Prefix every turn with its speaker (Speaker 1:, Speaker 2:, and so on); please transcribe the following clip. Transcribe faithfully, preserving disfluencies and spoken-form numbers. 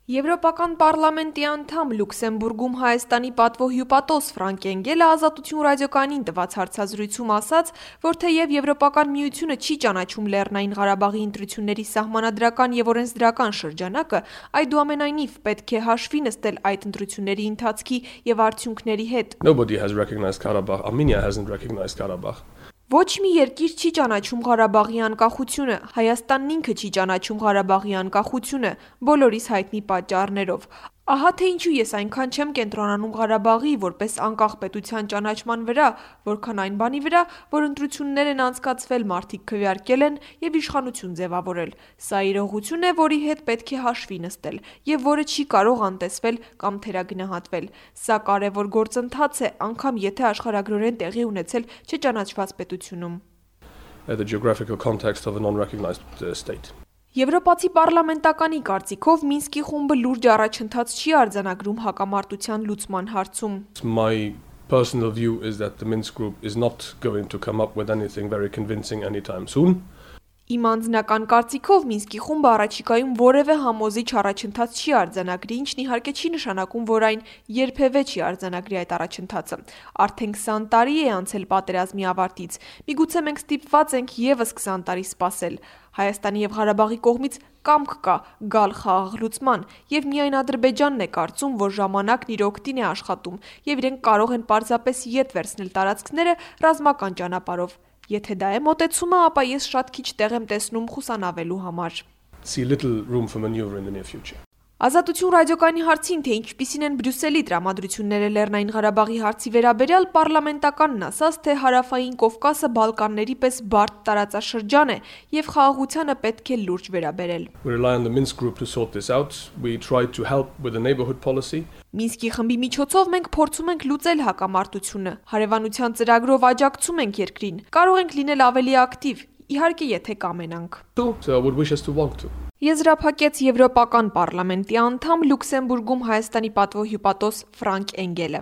Speaker 1: Եվրոպական պարլամենտի անդամ Լյուքսեմբուրգում Հայաստանի պատվո-հյուպատոս Ֆրանկ Էնգելը Ազատություն ռադիոկայանին տված հարցազրույցում ասաց, որ թեև Եվրոպական միությունը չի ճանաչում Լեռնային Ղարաբաղի ընտրությունների սահմանադրական և օրենսդրական շրջանակը, այդուամենայնիվ պետք է հաշվի նստել այդ ընտրությունների ընթացքի և արդյունքների հետ։
Speaker 2: Nobody has recognized Karabakh. Armenia hasn't recognized Karabakh.
Speaker 1: Ոչ մի երկիր չի ճանաչում Ղարաբաղի անկախությունը, Հայաստանն ինքը չի ճանաչում Ղարաբաղի անկախությունը, բոլորիս հայտնի պատճառներով։ Ահա թե ինչու ես այնքան չեմ կենտրոնանում Ղարաբաղի որպես անկախ պետության ճանաչման վրա, որքան այն բանի վրա, որ ընտրություններ են անցկացվել, մարդիկ քվեարկել են և իշխանություն ձևավորել։ Սա իրողություն է, որի հետ պետք է հաշվի նստել, և որը չի կարող անտեսվել կամ թերագնահատվել։ Սա կարևոր գործընթաց է, անգամ եթե աշխարհագրորեն տեղի ունեցել չճանաչված պետությունում։
Speaker 2: The geographical context of a non-recognized uh, state.
Speaker 1: Եվրոպացի պարլամենտականի կարծիքով Մինսկի խումբը լուրջ առաջընթաց չի արձանագրում հակամարտության լուծման հարցում։
Speaker 2: My personal view is that the Minsk group is not going to come up with anything very convincing anytime soon.
Speaker 1: Իմ անձնական կարծիքով Մինսկի խումբը առաջիկայում որևէ համոզիչ առաջընթաց չի արձանագրի, ինչն իհարկե չի նշանակում, որ այն երբևէ չի արձանագրի այդ առաջընթացը։ Արդեն քսան տարի է անցել պատերազմի ավարտից։ Միգուցե մենք ստիպված ենք ևս քսան տարի սպասել։ Հայաստանի և Ղարաբաղի կողմից կամք կա գալ խաղաղ լուծման, և միայն Ադրբեջանն է կարծում, որ ժամանակն իր օգտին է աշխատում, և իրենք կարող են պարզապես ետ վերցնել տարածքները ռազմական ճանապարհով։ Եթե դա է մոտեցումը, ապա ես շատ քիչ տեղ եմ տեսնում խուսանավելու համար։
Speaker 2: See little room for maneuver in the near future.
Speaker 1: Ազատություն ռադիոկայանի հարցին, թե ինչպիսին են Բրյուսելի տրամադրությունները Լեռնային Ղարաբաղի հարցի վերաբերյալ, պարլամենտականն ասաց, թե Հարավային Կովկասը Բալկանների պես բարդ տարածաշրջան է և խաղաղությանը պետք է լուրջ վերաբերել։
Speaker 2: We rely on the Minsk group to sort this out. We try to help with the neighborhood policy.
Speaker 1: Մինսկի խմբի միջոցով մենք փորձում ենք լուծել հակամարտությունը, հարևանության ծրագրով աջակցում ենք երկրին, կարող ենք լինել ավելի ակտիվ, իհարկե եթե կամենանք։
Speaker 2: So I would wish us to want to.
Speaker 1: Եզրափակեց Եվրոպական պարլամենտի անդամ Լյուքսեմբուրգում Հայաստանի պատվո-հյուպատոս Ֆրանկ Էնգելը։